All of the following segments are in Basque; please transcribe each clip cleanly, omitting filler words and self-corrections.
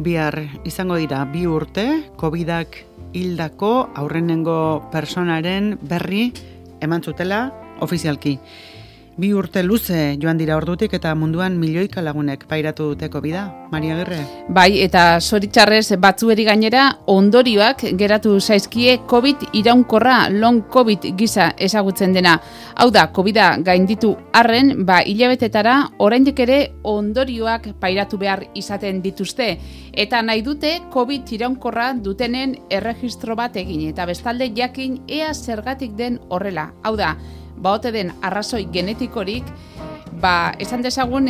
bihar izango dira 2 urte, COVID-ak hildako aurrenengo personaren berri eman zutela ofizialki. 2 urte luze joan dira ordutik eta munduan milioika lagunek pairatu dute COVID-a. Maria Agirre? Bai, eta zoritxarrez batzueri gainera ondorioak geratu zaizkie COVID iraunkorra, long COVID gisa ezagutzen dena. Hau da, COVID-a gainditu arren, hilabetetara oraindik ere ondorioak pairatu behar izaten dituzte. Eta nahi dute COVID iraunkorra dutenen erregistro bat egin, eta bestalde jakin ea zergatik den horrela. Hau da, baote den arrazoi genetikorik, esan dezagun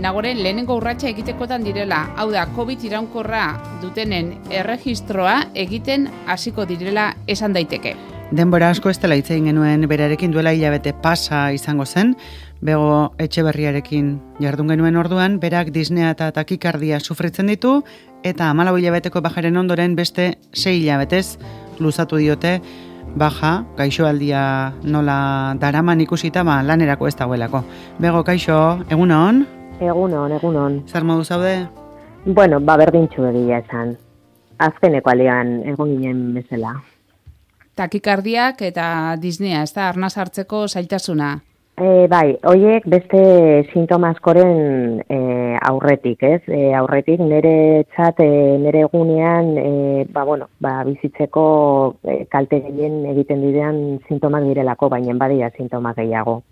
nagoren lehenengo urratsa egitekotan direla. Hau da, COVID iraunkorra dutenen erregistroa egiten hasiko direla esan daiteke. Denbora asko ez dela hitz egin genuen berarekin, duela hilabete pasa izango zen, Bego Etxeberriarekin jardun genuen orduan, berak disnea eta takikardia sufritzen ditu, eta 14 hilabeteko bajaren ondoren beste 6 hilabetez luzatu diote baja, gaixoaldia nola daraman ikusita, lanerako ez dagoelako. Bego, kaixo, egunon? Egunon. Zer modu zaude? Bueno, berdintxu egia esan. Azkeneko alian egon ginen bezala. Takikardiak eta disnea, ez da, arnaz hartzeko zailtasuna? Bai, horiek beste sintoma askoren aurretik, ez? Aurretik nire egunean, bizitzeko kalte gehien egiten direan sintomak direlako, baina badia sintoma gehiago.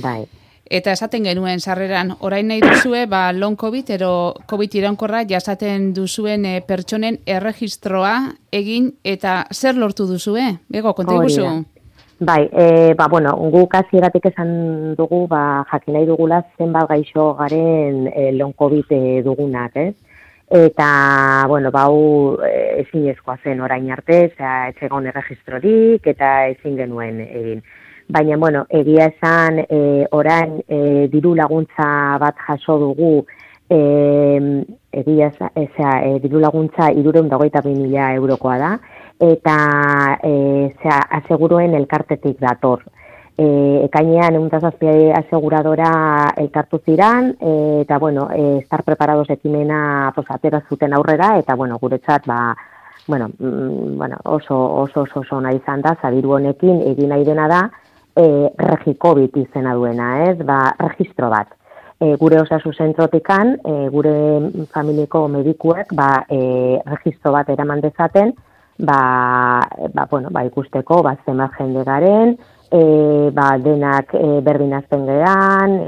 Bai. Eta esaten genuen sarreran, orain nahi duzue, long COVID, ero COVID iraunkorra jasaten duzuen pertsonen erregistroa egin, eta zer lortu duzue? Bego, konta iguzu? Bai, guk hasieratik esan dugu, jakin nahi dugula zenbat gaixo garen long COVID dugunak, ez? Eta, hau ezinezkoa zen orain arte, etxegon erregistrorik eta ezin genuen egin. Baina, egia esan orain diru laguntza bat jaso dugu, diru laguntza 322.000 eurokoa da, eta aseguruen elkartetik dator. Ekainean 107 aseguradora elkartu ziran, eta estar preparados ekimena atera zuten aurrera, eta guretzat oso nahi izan da, diru honekin egin nahi dena da, Regicovit izena duena, ez? Registro bat. Gure osasun zentrotikan, gure familiko medikuek, registro bat eraman dezaten, ikusteko, zenbat jende garen, denak berdinazten geran,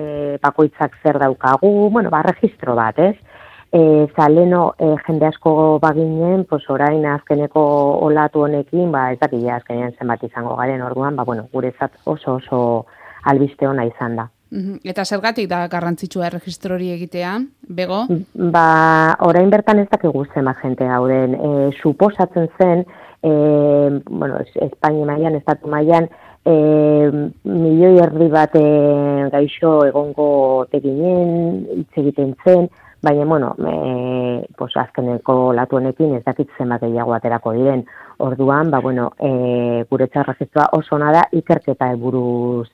bakoitzak zer daukagu, registro bat, ez? Leno jende asko baginen, orain azkeneko olatu honekin, ez dakila azkenean zenbat izango garen orduan, guretzat oso albiste ona izan da. Eta zergatik da garrantzitsua erregistro hori egitea, Bego? Orain bertan ez dakigu zenbat jente gauden. Suposatzen zen, Espainia mailan, estatu mailan, 1,5 milioi bat gaixo egongo teginen, hitz egiten zen, baina, azkeneko latu honekin ez dakit zenbat gehiago aterako diren. Orduan, guretzat registroa oso ona da, ikerketa helburuz,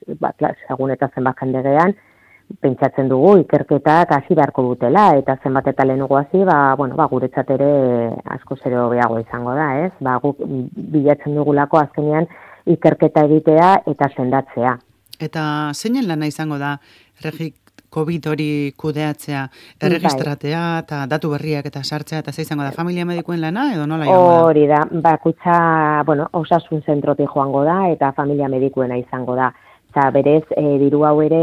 segun eta zenbat jende gean, pentsatzen dugu ikerketak hasi beharko dutela, eta zenbat eta lehenago hasi, guretzat ere asko zero behago izango da, ez? Guk bilatzen dugulako azkenean ikerketa egitea eta sendatzea. Eta zeinen lana izango da, COVID hori kudeatzea, erregistratea eta datu berriak eta sartzea, eta izango da familia medikuen lana edo nola joango da? Hori da, bakutza, osasun zentrotik joango da eta familia medikuena izango da. Eta berez, diru hau ere,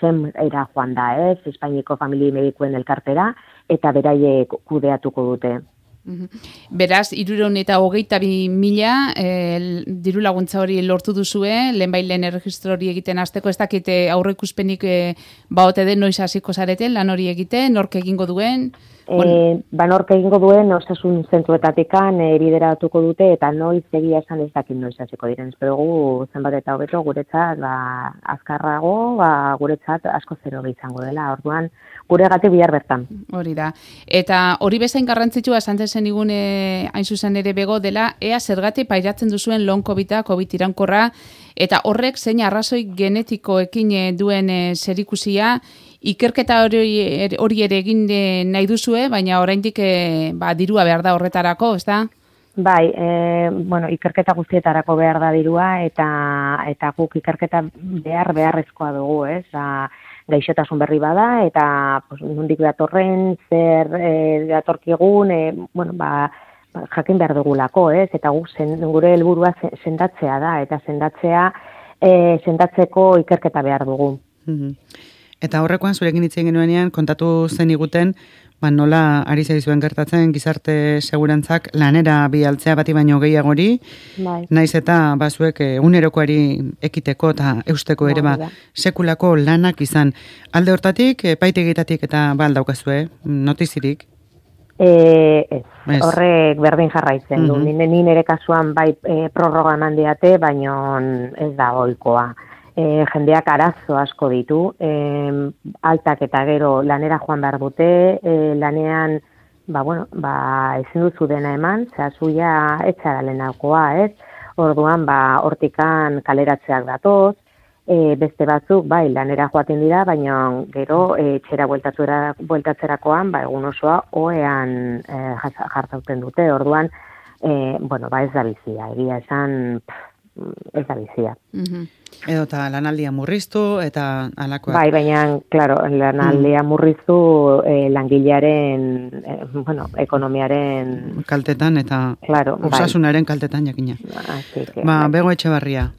SEM-era joan da, ez? Espainiko familia medikuen elkartera, eta beraiek kudeatuko dute. Beraz, 322.000 diru laguntza hori lortu duzue, lehenbailen erregistro hori egiten hasteko, ez dakite aurreikuspenik baote den noiz hasiko zareten, lan hori egiten, nork egingo duen? Nork egingo duen, osasun zentruetatikan bideratuko dute, eta noiz egia esan ez dakit noiz hasiko diren. Espero gu zenbat eta hobeto guretzat azkarrago, guretzat asko zero izango dela. Orduan, guregatik bihar bertan. Hori da. Eta hori bezain garrantzitsua esan zen igun hain zuzen ere Bego dela, ea zergatik pairatzen duzuen long COVID-a, COVID iraunkorra, eta horrek zein arrazoi genetikoekin duen zerikusia, Ikerketa hori ere egin nahi duzue, baina oraindik dirua behar da horretarako, ez da? Bai, ikerketa guztietarako behar da dirua eta guk ikerketa beharrezkoa dugu, ez? Gaixotasun berri bada eta nondik datorren, zer datorkigun, jakin behar dugulako, ez? Eta guk gure helburua sendatzea da eta sendatzeko ikerketa behar dugu. Eta horrekoan zurekin hitz egin genuenean kontatu zen iguten nola ari zaizuen gertatzen gizarte segurantzak lanera bialtzea bati baino gehiagori, naiz eta zuek egunerokoari ekiteko eta eusteko ere sekulako lanak izan. Alde hortatik, epaitegitatik eta daukazue, notizirik? Ez, horrek berdin jarraitzen du. Nire kasuan prorroga eman diate, baino ez da ohikoa. Jendeak arazo asko ditu, altak eta gero lanera joan behar dute, lanean, ezin duzu dena eman, zuia etxara lehenakoa, ez? Orduan, hortikan kaleratzeak datoz, beste batzuk, lanera joaten dira, baina gero etxera bueltatzerakoan, egun osoa oean jartzauten dute, orduan, ez da bizia, egia esan, ez da bizia. Edo eta lanaldia murriztu eta alakoak. Baina, claro, lanaldia murriztu langilearen, ekonomiaren... kaltetan eta osasunaren kaltetan jakina. Bego Etxebarria,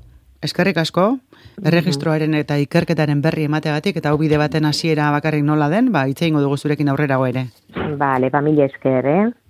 eskerrik asko, erregistroaren eta ikerketaren berri emateagatik eta hau bide baten hasiera bakarrik nola den, hitz egingo dugu zurekin aurrerago ere. Mila esker,